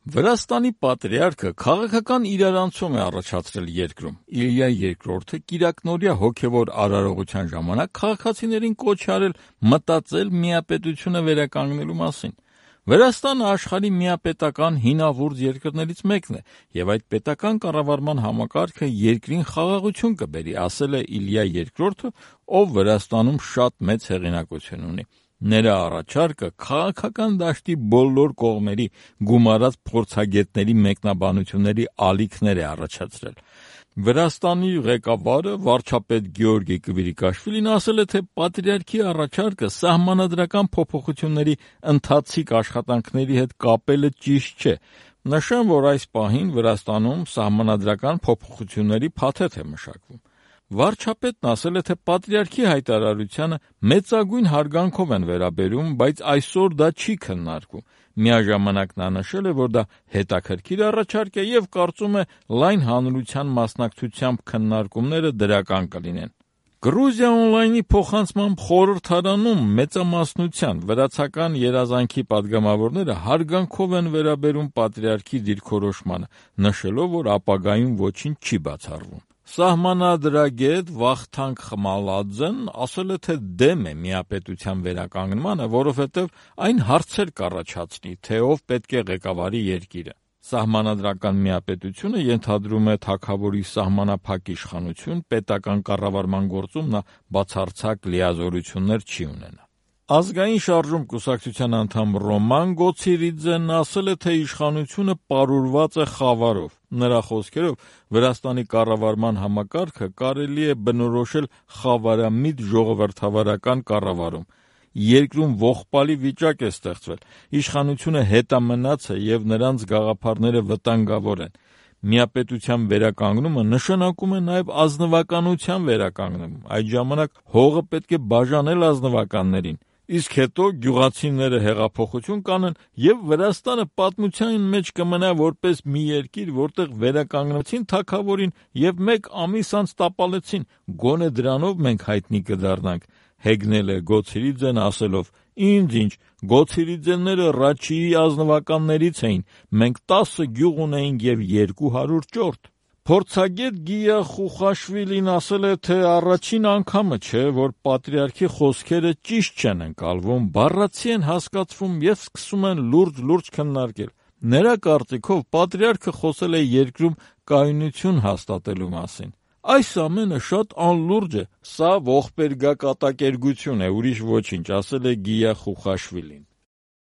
Վրաստանի պատրիարքը քաղաքական իրարանցում է առաջացրել երկրում։ Իլիա II կիրակնօրյա հոգևոր արարողության ժամանակ քաղաքացիներին կոչ է արել մտածել միապետությունը վերականգնելու մասին։ Վրաստանը աշխարհի միապետական հինավուրց երկրներից մեկն է, եւ այդ պետական կառավարման համակարգը երկրին խաղաղություն կբերի, ասել է Իլիա II, ով Վրաստանում շատ մեծ հեղինակություն ունի։ Նրա առաջարկը քաղաքական դաշտի բոլոր կողմերի գումարած փորձագետների մեկնաբանությունների ալիքներ է առաջացրել։ Վրաստանի ղեկավարը վարչապետ Գեորգի Կվիրիկաշվիլին ասել է, թե պատրիարքի առաջարկը սահմանադրական փոփոխությունների ընթացիկ աշխատանքների հետ կապելը ճիշտ չէ։ Նշեմ, որ այս պահին Վրաստանում սահմանադրական փոփոխությունների փաթեթ է մշակվում։ Վարչապետն ասել է, թե պատրիարքի հայտարարությանը մեծագույն հարգանքով են վերաբերում, բայց այսօր դա չի քննարկվում։ Միաժամանակ նա նշել է, որ դա հետաքրքիր առաջարկ է եւ կարծում է լայն հանրության մասնակցությամբ քննարկումները դրական կլինեն։ Գրուզիա օնլայնի փոխանցմամբ խորհրդարանում մեծամասնության վրացական երազանքի падգամավորները հարգանքով են վերաբերում պատրիարքի դիրքորոշմանը, նշելով, որ ապագայում ոչինչ չի բացառվում։ Սահմանադրագետ Վախթանգ Խմալաձեն ասել է, թե դեմ է միապետության վերականգնմանը, որովհետև այն հարցեր կառաջացնի, թե ով պետք է ղեկավարի երկիրը։ Սահմանադրական միապետությունը ենթադրում է թագավորի սահմանափակ իշխանություն, պետական կառավարման գործում նա բացարձակ լիազորություններ չի ունենա։ Ազգային շարժում կուսակցության անդամ Ռոման Գոցիրիձեն ասել է, թե իշխանությունը պարուրված է խավարով։ Նրա խոսքերով, Վրաստանի կառավարման համակարգը կարելի է բնորոշել խավարամիտ ժողովրդավարական կառավարում։ Երկրում ողբալի վիճակ է ստեղծվել, իշխանությունը հետամնաց է եւ նրանց գաղափարները վտանգավոր են։ Միապետության վերականգնումը նշանակում է նաև ազնվականության վերականգնում։ Այդ ժամանակ հողը պետք է բաժանել ազնվականներին, իսկ հետո գյուղացիները հեղափոխություն կանեն եւ Վրաստանը պատմության մեջ կմնա որպես մի երկիր, որտեղ վերականգնեցին թագավորին եւ մեկ ամիս անց տապալեցին։ Գոնե դրանով մենք հայտնի կդառնանք, հեգնել է Գոցիրիձեն ասելով. Ինչ, Գոցիրիձենները Ռաչիի ազնվականներից էին, մենք 10 գյուղ ունեինք եւ 200 ճորտ։ Փորձագետ Գիա Խուխաշվիլին ասել է, թե առաջին անգամը չէ, որ պատրիարքի խոսքերը ճիշտ չեն ընկալվում, բառացի են հասկացվում եւ սկսում են լուրջ քննարկել։ Նրա կարծիքով պատրիարքը խոսել է երկրում կայունություն հաստատելու մասին։ Այս ամենը շատ անլուրջ է, սա ողբերգակատակերգություն է, ուրիշ ոչինչ, ասել է Գիա Խուխաշվիլին։